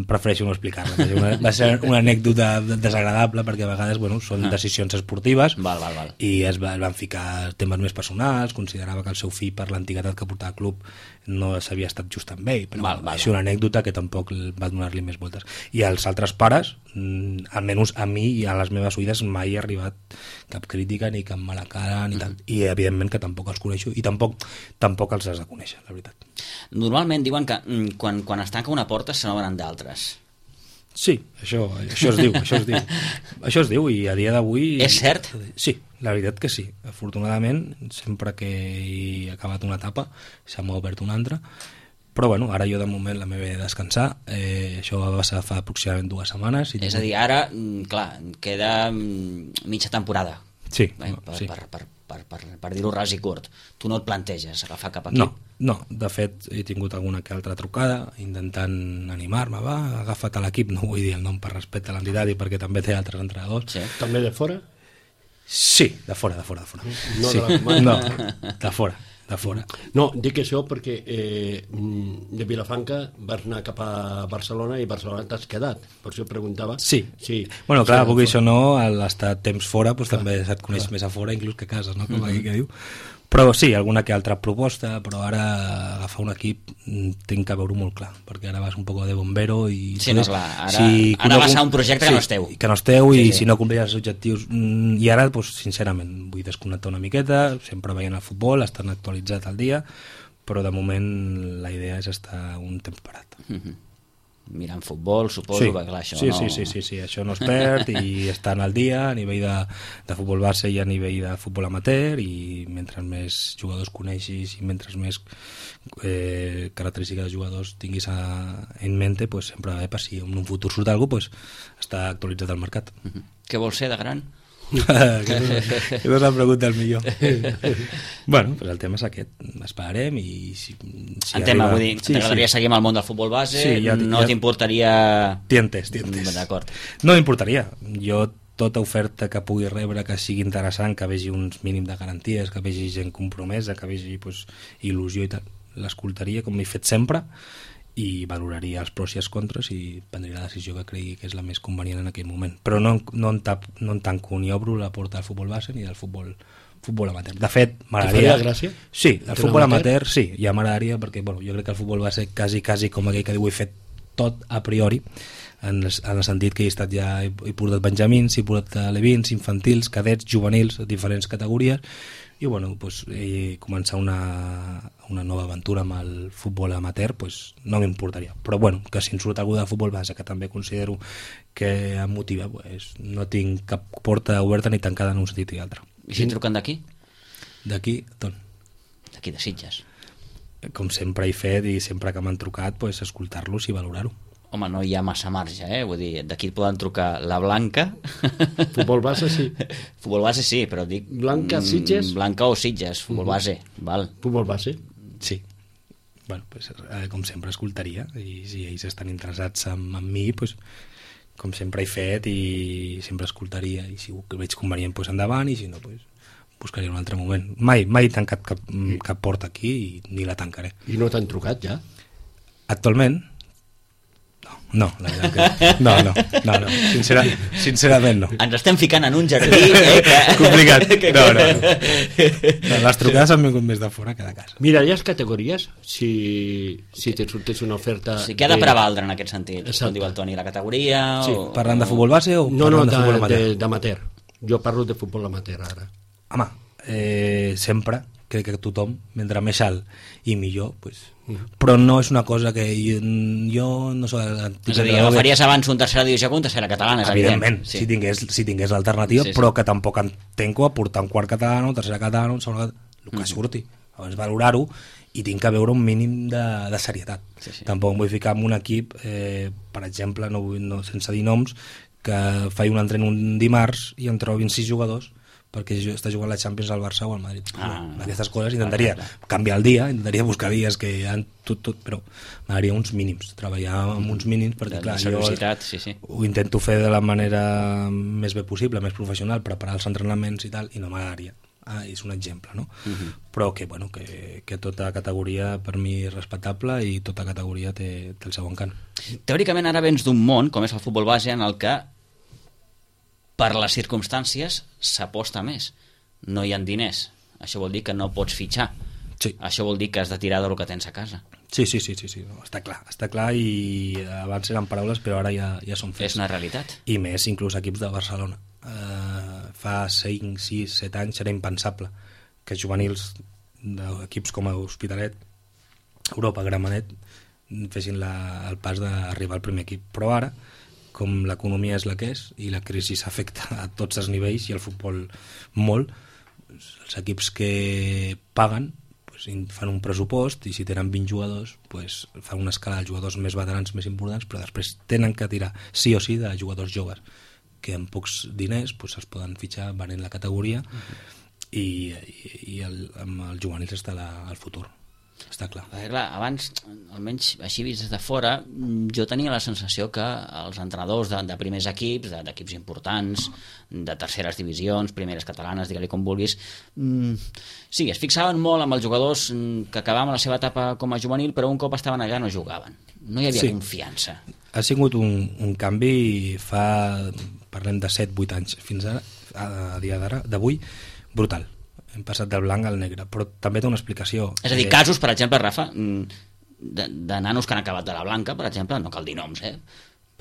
prefereixo no explicar-la. Una, va ser una anècdota desagradable perquè a vegades bueno, són decisions esportives val, val, val. i es, va, es van ficar temes més personals, considerava que el seu fill per l'antiguitat que portava al club no s'havia estat just amb ell, però val, val, és una anècdota que tampoc va donar-li més voltes. I els altres pares, almenys a mi i a les meves oïdes mai ha arribat cap crítica ni cap mala cara ni tant. I evidentment que tampoc els coneixo i tampoc, tampoc els has de conèixer, la veritat. Normalment diuen que quan, quan es tanca una porta se n'obren d'altres. Sí, això, això es diu, això es diu. Això es diu i a dia d'avui... És cert? Sí, la veritat que sí. Afortunadament, sempre que he acabat una etapa s'ha obert una altra, però bueno, ara jo de moment la meva he de descansar, eh, això va passar fa aproximadament dues setmanes. I és a dir, ara, clar, queda mitja temporada. Sí. Eh, per, sí. Per, per, per, per, per dir-ho ras i curt. Tu no et planteges agafar cap equip? No, no, de fet he tingut alguna que altra trucada intentant animar-me, va, agafa't a l'equip, no vull dir el nom per respecte a l'entitat i perquè també té altres entrenadors. Sí. També de fora? Sí, de fora, de fora, de fora. No, sí. de la... no, de fora. De fora. No, dic això perquè eh, de Vilafranca vas anar cap a Barcelona i Barcelona t'has quedat, per això preguntava. Sí, sí. Bueno, clar, perquè això no, l'estar temps fora pues, també se't coneix clar. Més a fora inclús que a casa, no? Com mm-hmm. aquí que diu. Però sí, alguna que altra proposta, però ara agafar un equip tinc que veure-ho molt clar, perquè ara vas un poc de bombero i... Sí, no, clar, ara, si ara vas a un projecte sí, que no esteu. Que no esteu sí, i sí. si no compliràs els objectius... I ara, doncs, sincerament, vull desconnectar una miqueta, sempre veient el futbol, estan actualitzat al dia, però de moment la idea és estar un temps parat. Mm-hmm. Mirant futbol, suposo, sí, perquè clar, això sí, no... Sí, sí, sí, sí, això no es perd i estan al dia a nivell de, de futbol base i a nivell de futbol amateur, i mentre més jugadors coneixis i mentre més eh, característiques de jugadors tinguis a, en mente, pues, sempre va bé per si en un futur surt alguna cosa, pues, està actualitzat al mercat. Mm-hmm. Què vols ser de gran? que no és la pregunta el millor. Bueno, pues el tema és aquest, esperarem i si, si en tema, arriba... vull dir, sí, t'agradaria sí. seguir amb el món del futbol base, sí, ja, no ja... t'importaria... Tientes, tientes. D'acord. No m'importaria, jo tota oferta que pugui rebre que sigui interessant, que vegi uns mínims de garanties, que vegi gent compromesa, que vegi pues, il·lusió i tal, l'escoltaria com m'he fet sempre i valoraria els pros i els contres i prendria la decisió que cregui que és la més convenient en aquell moment, però no, no, en, tap, no en tanco ni obro la porta del futbol base ni del futbol, futbol amateur. De fet, m'agradaria... T'faria gràcia? Sí, el futbol amateur? amateur sí, ja m'agradaria perquè bueno, jo crec que el futbol base quasi, quasi com aquell que diu he fet tot a priori, en el, en el sentit que he estat ja he, he portat benjamins, he portat alevins, infantils, cadets, juvenils, diferents categories, i bueno, pues, eh, començar una, una nova aventura amb el futbol amateur pues, no m'importaria, però bueno, que si en surt algú de futbol base que també considero que em motiva, pues, no tinc cap porta oberta ni tancada en un sentit i altre. I si truquen d'aquí? D'aquí, d'on? D'aquí de Sitges. Com sempre he fet i sempre que m'han trucat, pues, escoltar-los i valorar-ho. Home, no hi ha massa marge, eh? Vull dir, d'aquí et poden trucar la Blanca... Futbol base, sí. Futbol base, sí, però dic... Blanca, Sitges? Blanca o Sitges, futbol base, val. Futbol base? Sí. Bueno, pues, eh, com sempre escoltaria, i si ells estan interessats en, en mi, pues, com sempre he fet, i sempre escoltaria, i si ho veig convenient, pues, endavant, i si no, pues, buscaria un altre moment. Mai, mai he tancat cap, cap porta aquí, i ni la tancaré. I no t'han trucat, ja? Actualment? No, la veritat que... No, no, no, no. Sincera, sincerament no. Ens estem ficant en un jardí, eh? Que... Complicat. No, no, no. no. Les trucades han vingut més de fora que de casa. Miraries categories si, si te sortés una oferta... O sigui, què ha de prevaldre en aquest sentit? Exacte. Com diu el Toni, la categoria? Sí. O... Parlant de futbol base o no, parlant no, de futbol amateur? No, d'amateur. Jo parlo de futbol amateur ara. Home, eh, sempre crec que tothom, mentre més alt i millor, pues, mm. però no és una cosa que jo, jo no soc... És a dir, agafaries abans un tercera divisió que un tercera catalana, és evidentment, evident. Sí. si tingués, si tingués l'alternativa, sí, sí. Però que tampoc entenco a portar un quart català, un tercera català, un segon català, el que mm. surti. Abans valorar-ho i tinc que veure un mínim de, de serietat. Sí, sí. Tampoc em vull ficar en un equip, eh, per exemple, no, no, sense dir noms, que faig un entren un dimarts i en trobin sis jugadors perquè està jugant la Champions al Barça o al Madrid. Ah, no, aquestes coses intentaria clar, clar. canviar el dia, intentaria buscar dies que hi ha tot, tot, però m'agradaria uns mínims, treballar amb uns mínims perquè clar, jo sí, sí. ho intento fer de la manera més bé possible, més professional, preparar els entrenaments i tal, i no m'agradaria. Ah, és un exemple, no? Uh-huh. Però que, bueno, que, que tota categoria per mi és respectable i tota categoria té, té el seu encant. Teòricament ara vens d'un món, com és el futbol base, en el que per les circumstàncies s'aposta més. No hi ha diners. Això vol dir que no pots fitxar. Sí. Això vol dir que has de tirar del que tens a casa. Sí, sí, sí, sí, sí. No, està clar, està clar i abans eren paraules però ara ja, ja són fets. És una realitat. I més inclús equips de Barcelona. Uh, fa cinc, sis, set anys era impensable que juvenils d'equips com a Hospitalet, Europa, Gramenet fessin la, el pas d'arribar al primer equip. Però ara, com l'economia és la que és i la crisi afecta a tots els nivells i el futbol molt, els equips que paguen pues, fan un pressupost i si tenen vint jugadors pues, fan una escala de jugadors més veterans més importants, però després tenen que tirar sí o sí de jugadors joves que amb pocs diners pues, es poden fitxar venent la categoria uh-huh. i, i, i el, amb els juvenils està la, el futur. Està clar. Perquè, clar, abans, almenys així vist des de fora, jo tenia la sensació que els entrenadors de, de primers equips, de, d'equips importants, de terceres divisions, primeres catalanes, digue-li com vulguis, mmm, sí, es fixaven molt amb els jugadors que acabaven la seva etapa com a juvenil, però un cop estaven allà no jugaven. No hi havia sí. confiança. Ha sigut un, un canvi fa, parlem de set vuit anys, fins ara, a dia d'ara, d'avui, brutal. hem passat del blanc al negre, però també té una explicació. És a dir, casos, per exemple, Rafa, de, de nanos que han acabat de la blanca, per exemple, no cal dir noms, eh?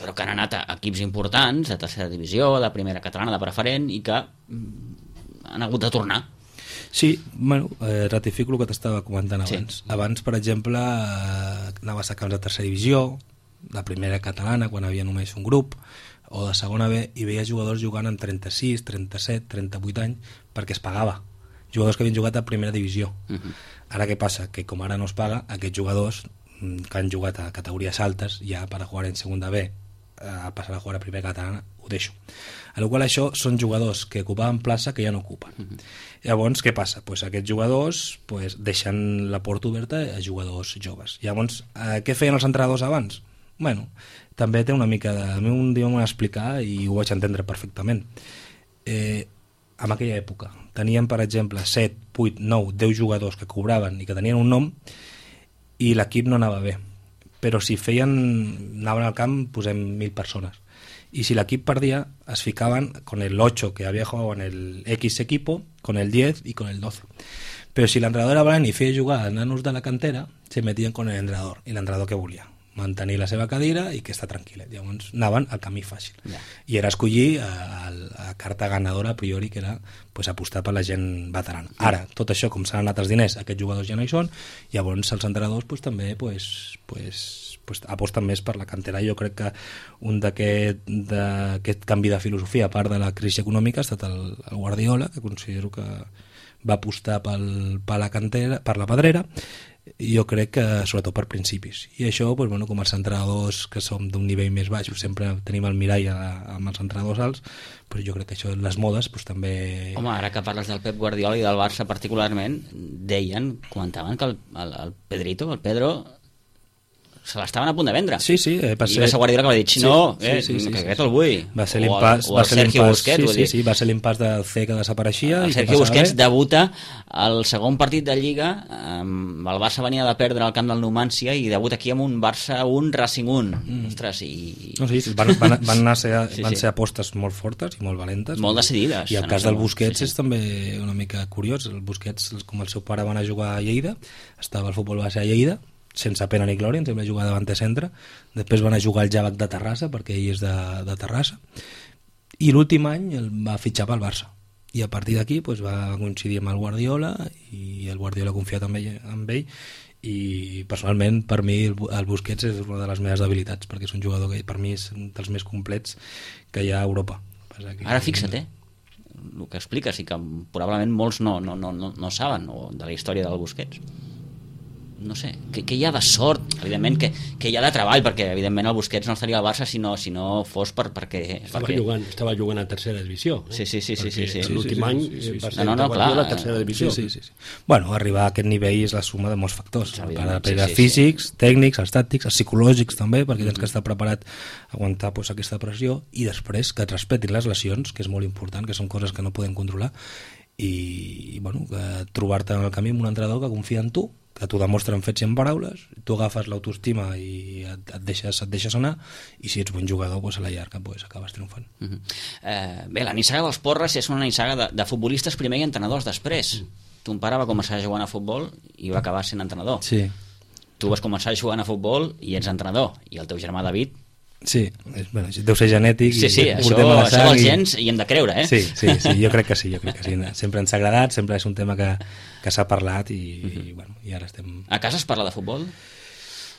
Però que han anat a equips importants, de tercera divisió, de primera catalana, de preferent, i que han hagut de tornar. Sí, bueno, eh, ratifico el que t'estava comentant abans. Sí. Abans, per exemple, eh, anaves a camps de tercera divisió, de primera catalana, quan havia només un grup, o de segona B, i veies jugadors jugant amb trenta-sis, trenta-set, trenta-vuit anys, perquè es pagava. Jugadors que havien jugat a primera divisió. Uh -huh. Ara què passa? Que com ara no es paga, aquests jugadors que han jugat a categories altes, ja per a jugar en segona B, a passar a jugar a primera catalana, ho deixo. A la qual això són jugadors que ocupaven plaça que ja no ocupen. Uh -huh. Llavors, què passa? Pues aquests jugadors pues, deixen la porta oberta a jugadors joves. Llavors, eh, què feien els entrenadors abans? Bueno, també té una mica de... A mi un dia m'ho van explicar i ho vaig entendre perfectament. Eh, en aquella època teníem, per exemple, set, vuit, nou, deu jugadors que cobraven i que tenien un nom i l'equip no anava bé. Però si feien... anaven al camp, posem mil persones. Y si l'equip perdia, es ficaban con el ocho que había jugado en el X equipo, con el diez y con el doce. Però si l'entrenador era valent i feia jugar a nanos de la cantera, se metien con el entrenador, i l'entrenador que volia mantenir la seva cadira i que està tranquil·let. Llavors anaven al camí fàcil. Yeah. I era escollir a, a, a carta ganadora a priori, que era pues, apostar per la gent veterana. Ara, tot això, com s'han anat els diners, aquests jugadors ja no hi són, llavors els entrenadors pues, també pues, pues, pues, aposten més per la cantera. Jo crec que un d'aquest canvi de filosofia, a part de la crisi econòmica, ha estat el, el Guardiola, que considero que va apostar pel, per la cantera, per la pedrera, jo crec que sobretot per principis, i això pues, bueno, com els entrenadors que som d'un nivell més baix sempre tenim el mirall a, amb els entrenadors alts, però jo crec que això les modes pues, també... Home, ara que parles del Pep Guardiola i del Barça particularment, deien, comentaven que el, el, el Pedrito, el Pedro se l'estaven a punt de vendre. Sí, sí, eh, va ser... I va ser Guardiola que va dir, si no, sí, eh, sí, sí, que sí, aquest sí. el vull. Va ser o l'impàs, el, o va el ser Sergio l'impàs, Busquets, sí, sí, sí, va ser l'impàs del C que desapareixia. El i Sergio que Busquets bé. debuta el segon partit de Lliga, amb el Barça venia de perdre al camp del Numancia i debuta aquí amb un Barça un, Racing un. Mm. Ostres, i... No, sí, van, van, van, anar ser, sí, van sí. ser apostes molt fortes i molt valentes. Molt decidides. I el cas del Busquets sí, sí. és també una mica curiós. El Busquets, com el seu pare va anar a jugar a Lleida, estava al futbol base a Lleida, sense pena ni glòria, ens hem de jugar davant de centre, després van a jugar al Javac de Terrassa, perquè ell és de, de Terrassa, i l'últim any el va fitxar pel Barça, i a partir d'aquí pues, va coincidir amb el Guardiola, i el Guardiola ha confiat en ell, en ell, i personalment per mi el, el Busquets és una de les meves debilitats, perquè és un jugador que per mi és un dels més complets que hi ha a Europa. Que... Ara fixa't, eh? El que expliques i que probablement molts no, no, no, no, no saben o de la història del Busquets. No sé, que, que hi ha de sort, evidentment que, que hi ha de treball, perquè evidentment el Busquets no estaria al Barça si no, si no fos per, perquè... Estava, perquè... jugant, estava jugant a tercera divisió. Eh? Sí, sí, sí, sí, sí, sí. L'últim sí, sí, any sí, sí, sí. va ser No, no, no, clar. a tercera divisió. Sí, sí, sí, sí. Bueno, arribar a aquest nivell és la suma de molts factors. Sí, per sí, sí, físics, sí. tècnics, els tàctics, els psicològics també, perquè tens que estar preparat a aguantar pues, aquesta pressió, i després que et respetin les lesions, que és molt important, que són coses que no podem controlar, i, i bueno, trobar-te en el camí amb un entrenador que confia en tu, que t'ho demostra en fets i en paraules, tu agafes l'autoestima i et, et, deixes, et deixes anar, i si ets bon jugador pues, a la llarga pues, acabes triomfant. Uh -huh. eh, bé, la nissaga dels Porres és una nissaga de, de futbolistes primer i entrenadors després. Mm. Ton pare va començar jugant a futbol i va acabar sent entrenador. Sí. Tu vas començar jugant a futbol i ets entrenador, i el teu germà David... Sí, és, bueno, deu ser genètic. Sí, sí, i això, la això dels i... gens hi hem de creure, eh? Sí, sí, sí, jo crec que sí, jo crec que sí. Sempre ens ha agradat, sempre és un tema que, que s'ha parlat i, uh -huh. i, bueno, i ara estem... A casa es parla de futbol?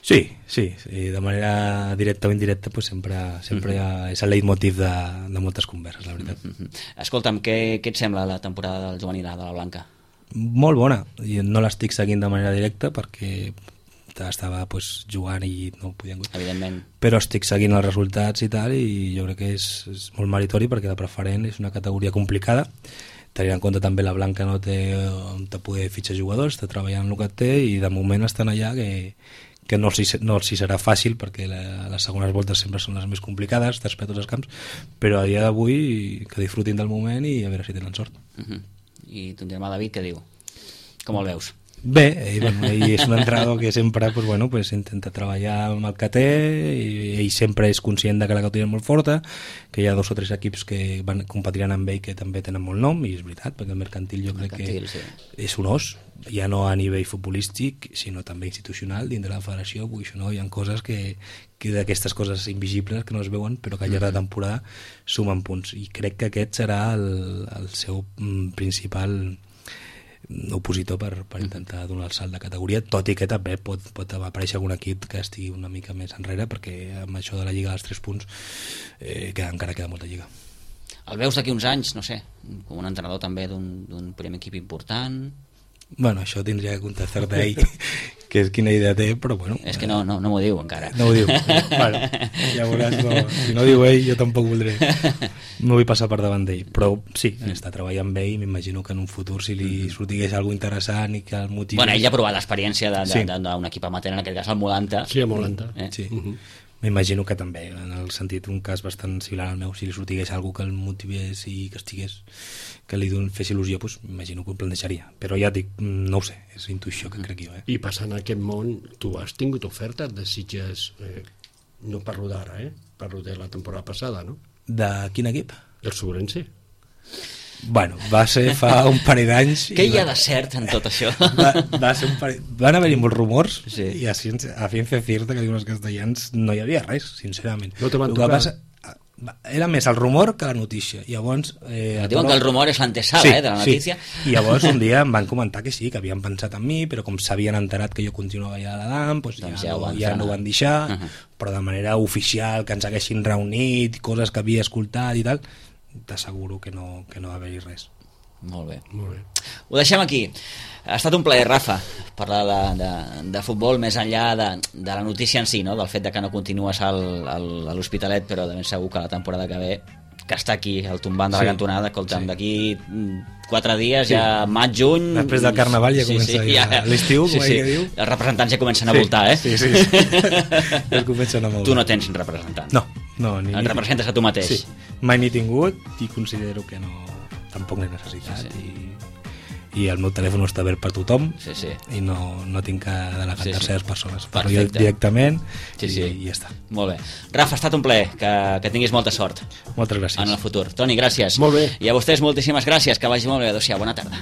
Sí, sí, sí, de manera directa o indirecta pues sempre, sempre uh -huh. és el leitmotiv de, de moltes converses, la veritat. Uh -huh. Escolta'm, què, què et sembla la temporada del juvenil A de la Blanca? Molt bona, i no l'estic seguint de manera directa perquè estava pues, jugant i no podia... Evidentment. Però estic seguint els resultats i tal, i jo crec que és, és molt meritori perquè la preferent és una categoria complicada, tenint en compte també la Blanca no té on te poder fitxar jugadors, està treballant el que té i de moment estan allà que, que no els hi, no els hi serà fàcil perquè la, les segones voltes sempre són les més complicades, després tots els camps, però a dia d'avui que disfrutin del moment i a veure si tenen sort. Uh -huh. I ton germà David què diu? Com el veus? Bé, ell, bueno, ell és un entrenador que sempre pues, bueno, pues, intenta treballar amb el que té, i ell sempre és conscient de que la categoria és molt forta, que hi ha dos o tres equips que van competiran amb ell que també tenen molt nom, i és veritat, perquè el mercantil jo crec mercantil, que sí. és un os, ja no a nivell futbolístic, sinó també institucional dins de la federació, vull dir, no? Hi ha coses que, que d'aquestes coses invisibles que no es veuen, però que al llarg de temporada sumen punts, i crec que aquest serà el, el seu principal opositor per, per intentar donar el salt de categoria, tot i que també pot, pot aparèixer algun equip que estigui una mica més enrere, perquè amb això de la Lliga dels tres punts eh, que encara queda molta Lliga. El veus d'aquí uns anys, no sé, com un entrenador també d'un primer equip important? Bueno, això tindria que contestar-te a ell que és quina idea té, però bueno... És que no, no, no m'ho diu encara. No ho diu. Bueno, ja veuràs, no, si no diu ell, jo tampoc voldré. No vull passar per davant d'ell, però sí, està treballant amb ell, m'imagino que en un futur, si li sortigués alguna interessant i que el motivi... Bueno, ell ha provat l'experiència d'un equip amateur, en aquest cas el Molanta. Sí, el Molanta. Eh? Sí. Uh-huh. M'imagino que també, en el sentit, un cas bastant similar al meu, si li sortigués algú que el motivés i que estigués, que li fes il·lusió, doncs m'imagino que ho plantejaria. Però ja dic, no ho sé, és intuïció que crec jo. Eh? I passant a aquest món, tu has tingut ofertes de Sitges, eh, no parlo d'ara, eh? Parlo de la temporada passada, no? De quin equip? El Sobrense. Bueno, va ser fa un parell d'anys... Què hi ha de cert en tot això? Va, va ser un parell... Van haver-hi molts rumors, sí. I a ciència, a ciència cierta, que diuen els castellans, no hi havia res, sincerament. No te van tocar? Passa, era més el rumor que la notícia. Llavors, eh, diuen que el rumor és l'antesala, sí, eh, de la notícia. Sí. I llavors un dia em van comentar que sí, que havien pensat en mi, però com s'havien enterat que jo continuava allà a l'Adam, doncs ja, doncs ja, no, ja no ho van deixar, uh -huh. però de manera oficial, que ens haguessin reunit, coses que havia escoltat i tal, t'asseguro que no, que no va haver-hi res. Molt bé. Molt bé. Ho deixem aquí. Ha estat un plaer, Rafa, parlar de, de, de futbol més enllà de, de la notícia en si, no? Del fet de que no continues al, al, a l'Hospitalet, però de ben segur que la temporada que ve, que està aquí, al tombant de la sí. cantonada, escolta'm, sí. d'aquí quatre dies, sí. ja maig, juny... Després del Carnaval ja sí, comença sí, ja, l'estiu, sí, com sí. que diu. Els representants ja comencen a voltar, eh? Sí, sí, sí. ja comencen a moure. Tu no tens representant. No, no. Ni, Et representes a tu mateix. Sí, mai n'he tingut i considero que no, tampoc n'he necessitat. Sí, sí. I... i el meu telèfon està obert per tothom, sí, sí. i no, no tinc que delegar sí, sí. terceres persones. Parlo jo directament sí, sí. I, i ja està. Molt bé. Rafa, ha estat un plaer, que, que tinguis molta sort. Moltes gràcies. En el futur. Toni, gràcies. Molt bé. I a vostès moltíssimes gràcies, que vagi molt bé. Adéu-siau, bona tarda.